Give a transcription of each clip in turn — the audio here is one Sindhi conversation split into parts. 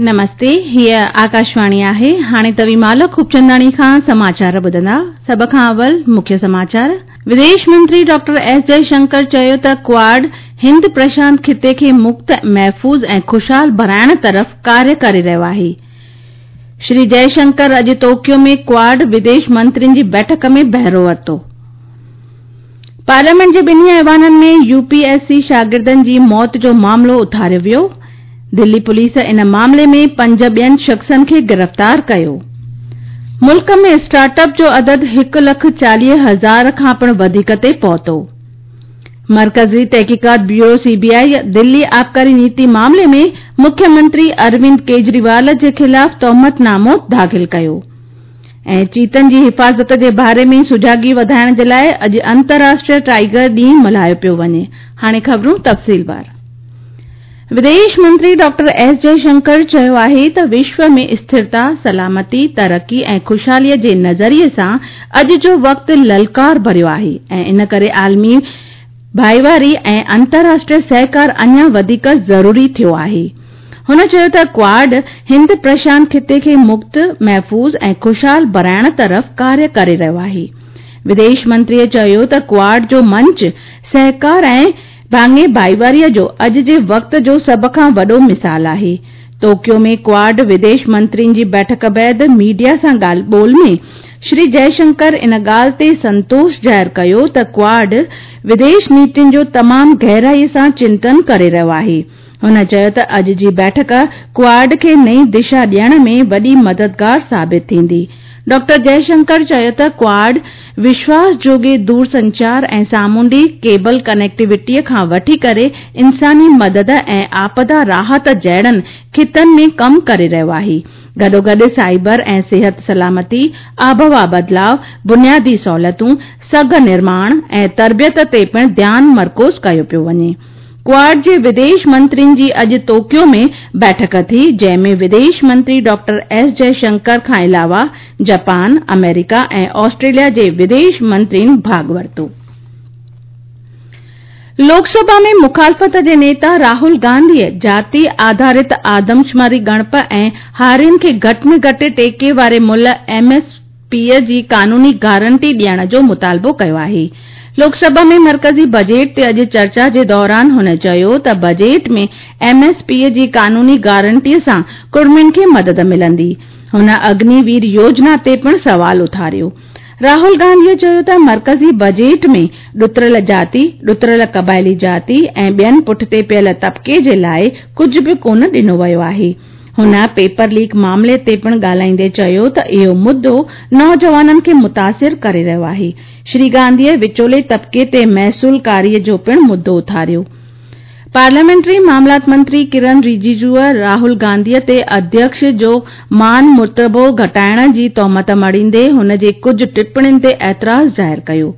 نمستي، هيء آڪاشواڻي آهي. هاڻي توهين مالڪ خوبچنداڻي کان سماچار ٻڌندا. سڀ کان اول مکيه سماچار. وديش منتري ڊاڪٽر ايس جئشنڪر چيو ته ڪواڊ هند پرشانت خطي کي مڪت، محفوظ ۽ خوشحال بڻائڻ طرف ڪاريه ڪري رهيو آهي. شري جئشنڪر اڄ ٽوڪيو ۾ ڪواڊ وديش منترين جي بيٺڪ ۾ بهرو ورتو. پارليامينٽ جي ٻنهي ايوانن ۾ يو پي ايس سي شاگردن جي موت جو معاملو اٿاريو ويو. دلي پوليس ان معاملي ۾ پنج ٻين شخصن کي گرفتار ڪيو. ملڪ ۾ اسٽارٽ اپ جو عدد هڪ لک 40,000 کان پڻ وڌيڪ تي پهتو. مرڪزي تحقيقات بيورو سي بي آء دلي آبڪاري نيتي معاملي ۾ مکيه منتري اروند ڪيجريوال جي خلاف تهمت نامو داخل ڪيو. ۽ چيتن جي حفاظت جي باري ۾ سجاڳي وڌائڻ جي لاء اڄ انترراشٽريه ٽائيگر ڏينهن ملهايو پيو وڃي. هاڻي خبرون تفصيلوار. وديش منتري ڊاڪٽر ايس جئشنڪر چيو آهي ته وشو ۾ اسٿرتا، سلامتي، ترقي ۽ خوشحالي جي نظريي سان اڄ جو وقت للڪار ڀريو آهي ۽ ان ڪري عالمي ڀائيواري ۽ انترراشٽريه سهڪار اڃا وڌيڪ ضروري ٿيو آهي. هن چيو ته ڪواڊ هند پرشانت خطي کي مڪت، محفوظ ۽ خوشحال بڻائڻ طرف ڪاريه ڪري رهيو آهي. وديش منتري چيو ته ڪواڊ جو منچ سهڪار ۽ ڀاڱي ڀائيواري جو اڄ جي وقت جو سڀ کان وڏو مثال آهي. ٽوڪيو ۾ ڪواڊ وديش منترين جي بيٺڪ بعد ميڊيا سان ڳالهه ٻولهه ۾ شري جئشنڪر ان ڳالهه تي سنتوش ظاهر ڪيو ته ڪواڊ وديش نيتين جو تمام گهرائي سان چنتن ڪري رهيو آهي. هن چيو ته اڄ جي بيٺڪ ڪواڊ کي نئين دشا ڏيڻ ۾ وڏي مددگار ثابت ٿيندي. ڊاڪٽر جئشنڪر چيو ته ڪواڊ وشواس جوڳي دورسنچار ۽ سامونڊي ڪيبل ڪنيڪٽيوٽي کان وٺي ڪري انساني مدد ۽ آپدا راحت جهڙن خطن ۾ ڪم ڪري رهيو آهي. گڏوگڏ سائبر ۽ صحت سلامتي، آبهوا بدلاء، بنيادي سهولتون، سگهه نرماڻ ۽ تربيت تي پڻ ڌيان مرڪوز ڪيو پيو وڃي. ڪواڊ جي وديش منترين جي اڄ ٽوڪيو ۾ بيٺڪ ٿي، جنهن ۾ وديش منتري ڊاڪٽر ايس جئشنڪر کان علاوه جاپان، آمريڪا ۽ آسٽريليا جي وديش منترين ڀاڳ ورتو. لوڪ سڀا ۾ مخالفت جي نيتا راهول گانڌيء جاتي آڌارت آدمشماري ڳڻپ ۽ هارين کي گهٽ ۾ گهٽ ٽيڪي واري ملهه، ايم ايس پي، جي قانوني گارنٽي ڏيڻ جو مطالبو ڪيو آهي. لوڪ سڀا ۾ مرڪزي بجيٽ تي اڄ چرچا جي دوران هن چيو ته بجيٽ ۾ ايم ايس پي جي قانوني گارنٽي سان ڪڙمين کي مدد ملندي. هن اگني وير يوجنا تي پڻ سوال اٿاريو. راهول گانڌيء چيو ته مرڪزي بجيٽ ۾ ڏتڙيل جاتي، ڏتڙيل قبائلي جاتي ۽ ٻين پٺتي پيل طبقي جي لاء ڪجهه به ڪونه ڏنو ويو آهي. هن پيپر ليڪ معاملي تي پڻ ڳالهائيندي چيو ته اهو مدو نوجوانن کي متاثر ڪري رهيو آهي. شري گانڌيء وچولي طبقي تي محصول ڪاري جو پڻ مدو اٿاريو. پارليامينٽري معاملات منتري ڪرن رجيجوء راهول گانڌيء تي اڌيڪش جو مان مرتبو گهٽائڻ جي تهمت مڙهيندي هن جي ڪجهه ٽپڻين تي اعتراض ظاهر ڪيو.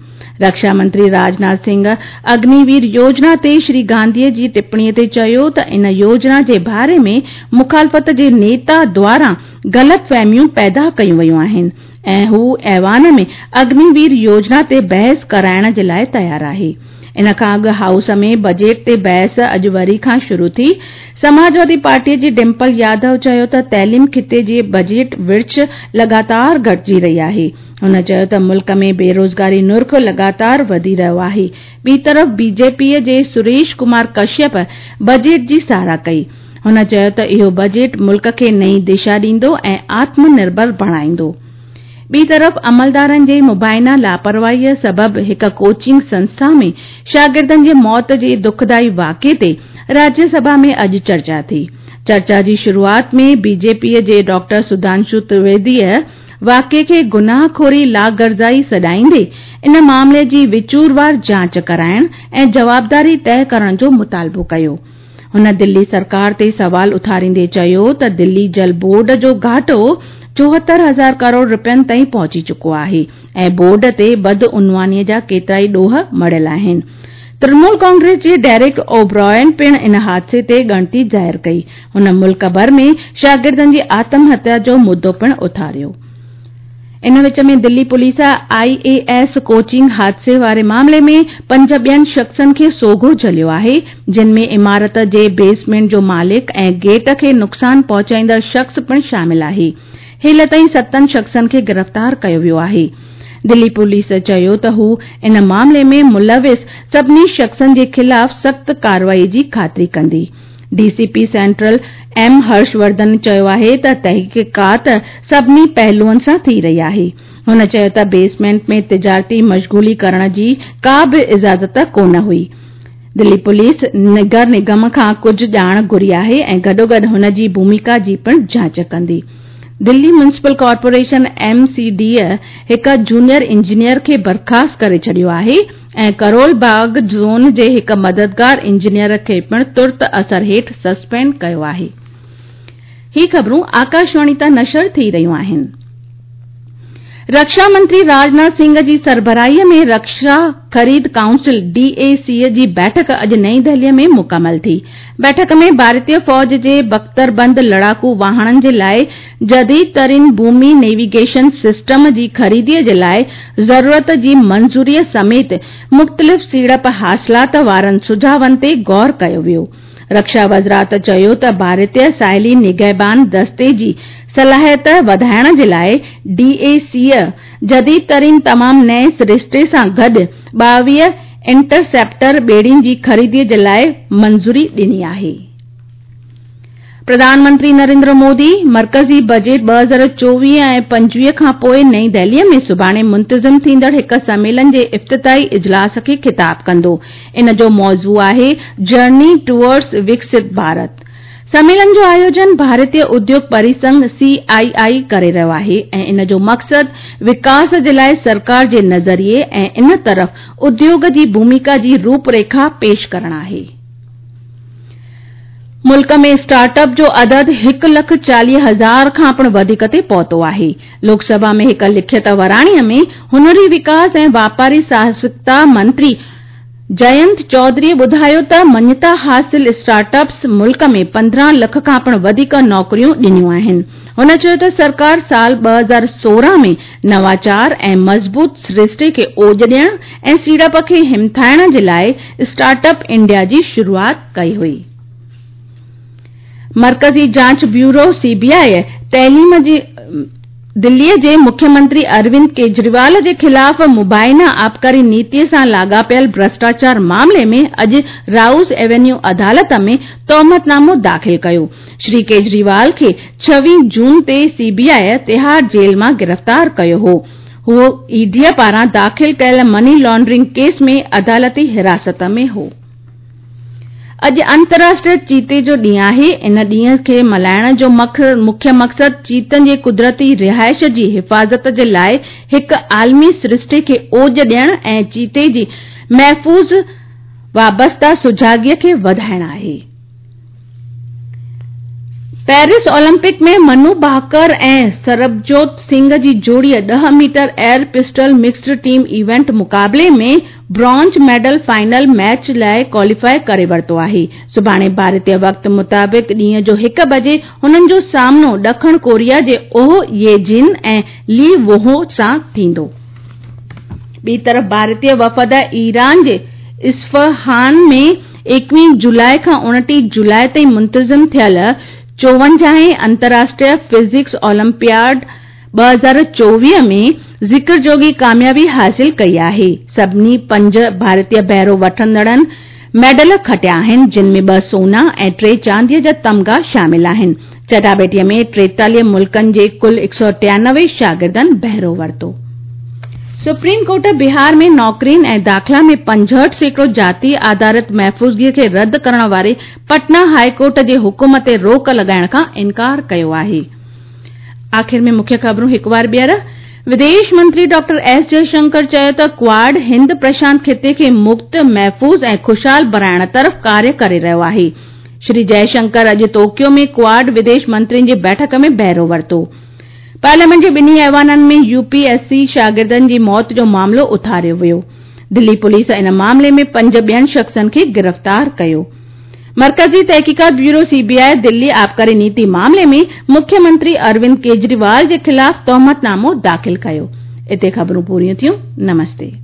رڪشا منتري راجناٿ سنگهه اگني وير يوجنا تي شري گانڌيء جي ٽپڻي تي چيو ته ان يوجنا جي باري ۾ مخالفت جي نيتا دواران غلط فهميون پيدا ڪيون ويون آهن ۽ هو ايوان ۾ اگني وير يوجنا تي بحث ڪرائڻ جي لاء تيار آهي. ان کان اڳ هائوس ۾ بجيٽ تي بحث اڄ وري کان شروع ٿي. سماجوادي پارٽي جي ڊمپل يادو چيو ته تعليم کاتي جي بجيٽ ورڇ لڳاتار گهٽجي رهي آهي. هن چيو ته ملڪ ۾ بيروزگاري نرخ لڳاتار وڌي رهيو آهي. ٻي طرف بي جي پي جي سريش ڪمار ڪشيپ بجيٽ جي ساراهه ڪئي. هن چيو ته اهو بجيٽ ملڪ کي نئين دشا ڏيندو ۽ آتم نرڀر بڻائيندو. ٻي طرف عملدارن جي مبينا لاپرواهي سبب هڪ ڪوچنگ سنسٿا ۾ شاگردن جي موت جي دکدائي واقعي تي راجيه سڀا ۾ اڄ چرچا ٿي. چرچا جي شروعات ۾ بي جي پي جي ڊاڪٽر سڌانشو ترويديء واقعي کي گناهه خوري لاغرضائي سڏائيندي ان معاملي جي وچوروار جاچ ڪرائڻ ۽ جوابداري طئه ڪرڻ جو مطالبو ڪيو. هن دلي سرڪار تي سوال اٿاريندي چيو ته دلي جل بورڊ جو گهاٽو 74 هزار ڪروڙ رپين تائين پهچي چڪو آهي ۽ بورڊ تي بدعنواني جا ڪيترائي ڏوهه مڙهيل آهن. ترڻمول ڪانگريس جي ڊيرڪ اوبرائن پڻ ان حادثي تي ڳڻتي ظاهر ڪئي. هن ملڪ ڀر ۾ شاگردن جي آتم هتيا جو مدو پڻ اٿاريو. ان وچ ۾ Delhi police I A S coaching حادثي واري معاملي ۾ پنج ٻين شخصن کي سوگهو جهليو آهي، جن ۾ عمارت جي بيسمينٽ جو مالڪ ۽ گيٽ کي نقصان پهچائيندڙ شخص پڻ شامل آهي. هيل تائين ستن شخصن کي گرفتار ڪيو ويو آهي. دلي پوليس چيو ته هو ان معاملي ۾ ملوث سڀني شخصن جي خلاف سخت ڪارروائي جي خاطري ڪندي. D C P central M Harsh Vardhan چيو آهي ته تحقيقات سڀني پهلوئن سان ٿي رهي آهي. هن چيو ته بيسمينٽ ۾ تجارتي مشغولي ڪرڻ جي ڪا به اجازت ڪونه هئي. دلي پوليس نگر نگم کان ڪجهه ڄاڻ گهري آهي ۽ گڏوگڏ هن جي ڀوميڪا جي پڻ جاچ ڪندي. Delhi municipal corporation, M C D, هڪ جونيئر انجنيئر کي برخاست ڪري ڇڏيو آهي. ۽ ڪرول باغ زون جي هڪ مددگار انجنيئر کي پڻ ترت اثر هيٺ سسپينڊ ڪيو آهي. هي خبرون آڪاشواڻي تان نشر ٿي رهيون آهن. رڪشا منتري راجناٿ سنگهه جي سربراهي ۾ رڪشا خريد ڪائونسل، ڊي اي سي، جي بيٺڪ اڄ نئين دهلي ۾ مڪمل ٿي. بيٺڪ ۾ ڀارتي فوج جي بڪتربند لڙاڪو واهڻن جي لاء جديد ترين ڀومي نيويگيشن سسٽم جي خريدي جي لاء ضرورت جي منظوري سميت مختلف سيڙپ حاصلات وارن سجهاون تي غور ڪيو ويو. رڪشا وزارت چيو ته ڀارتي ساحلي نگهبان دستي جي صلاحيت وڌائڻ جي لاء ڊي اي سي جديد ترين تمام نئين سرشتي سان گڏ 22 انٽرسيپٽر ٻيڙين جي خريدي جي لاء منظوري ڏني آهي. پرڌان منتري نريندر مودي مرڪزي بجيٽ 2024 ۽ 25 کان پوء نئين دهلي ۾ سڀاڻي منتظم ٿيندڙ هڪ سميلن جي افتتاحي اجلاس کي خطاب ڪندو. ان جو موضوع آهي جرني ٽوئرڊز وڪست ڀارت. سميلن جو آيوجن ڀارتي اديوگ پريسنگهه، سي آء آء، ڪري رهيو آهي ۽ ان جو مقصد وڪاس جي لاء سرڪار جي نظريي ۽ ان طرف اديوگ جي ڀوميڪا جي روپريکا پيش ڪرڻ آهي. ملڪ ۾ اسٽارٽ اپ جو عدد هڪ لک 40 هزار کان پڻ وڌيڪ تي پهتو آهي. لوڪ سڀا ۾ هڪ لکيت وراڻي ۾ هنري وڪاس ۽ واپاري ساهسڪتا منتري جينت چوڌري ٻڌايو ته مڃتا حاصل اسٽارٽ اپس ملڪ ۾ 15 لک کان پڻ وڌيڪ نوڪريون ڏنيون آهن. هن چيو ته سرڪار سال 2016 ۾ نواچار ۽ مضبوط سرشتي کي اوڄ ڏيڻ ۽ سيڙپ کي همٿائڻ جي لاء اسٽارٽ اپ انڊيا جي شروعات ڪئي هئي. مرڪزي جاچ بيورو، سي بي آء، تعليم جي دلي جي مکيه منتري اروند ڪيجريوال جي خلاف مبينا آبڪاري نيتي سان لاڳاپيل ڀرشٽاچار معاملي ۾ اڄ رائوز ايونيو عدالت ۾ تهمت نامو داخل ڪيو. شري ڪيجريوال کي 26 جون تي سي بي آء تهاڙ جيل مان گرفتار ڪيو هو. هو اي ڊي پاران داخل ڪيل مني لانڊرنگ ڪيس ۾ عدالتي حراست ۾ هو. اڄ انترراشٽريه چيتي جو ڏينهن آهي. ان ڏينهن کي ملهائڻ جو مکيه مقصد چيتن جي قدرتي رهائش جي حفاظت جي لاء هڪ عالمي سرشتي کي اوڄ ڏيڻ ۽ چيتي جي محفوظ وابسته سجاڳي کي وڌائڻ آهي. پيرس اولمپڪ ۾ منو ڀاڪر ۽ سربجوت سنگهه جي جوڙيء 10 metre air pistol mixed team event مقابلي ۾ برونز ميڊل فائنل ميچ لاء ڪواليفاء ڪري ورتو آهي. سڀاڻي ڀارتي وقت مطابق ڏينهن جو هڪ بجي هنن جو سامنو ڏکڻ ڪوريا جي اوه يي جن ۽ لي ووهو سان ٿيندو. ٻي طرف ڀارتي وفد ايران جي اصفهان ۾ 21 جولاء کان 29 جولاء تائين منتظم ٿيل 54هين انترراشٽريه فزڪس اولمپياڊ 2024 ۾ ذڪر جوڳي ڪاميابي حاصل ڪئي آهي. سڀني پنج ڀارتي بهرو وٺندڙن ميڊل کٽيا آهن، جن ۾ ٻه سونا ۽ ٽي چانديء جا تمغا شامل آهن. چٽاڀيٽيء ۾ 43 ملڪن جي ڪل 193 شاگردن بهرو ورتو. سپريم ڪورٽ بهار ۾ نوڪرين ۽ داخلا ۾ 65% جاتي آڌارت محفوظگي کي رد ڪرڻ واري پٽنا هاء ڪورٽ جي حڪم تي روڪ لڳائڻ کان انڪار ڪيو آهي. آخر ۾ مکيه خبرون هڪ وار ٻيهر، وديش منتري ڊاڪٽر ايس جئشنڪر چيو ته ڪواڊ هند پرشانت خطي کي مڪت، محفوظ ۽ خوشحال بڻائڻ طرف ڪاريه ڪري رهيو آهي. شري جئشنڪر اڄ ٽوڪيو ۾ ڪواڊ وديش منترين جي بيٺڪ ۾ بهرو ورتو. پارليامينٽ جي ٻنهي ايوانن ۾ يو پي ايس سي شاگردن جي موت جو معاملو اٿاريو ويو. دلي پوليس ان معاملي ۾ پنج ٻين شخصن کي گرفتار ڪيو. मरकज़ी तहक़ीक़ात ब्यूरो सीबीआई दिल्ली आबकारी नीति मामले में मुख्यमंत्री अरविंद केजरीवाल जे ख़िलाफ़ तोहमतनामो दाख़िल कयो। हिते ख़बरूं पूरियूं थियूं। नमस्ते।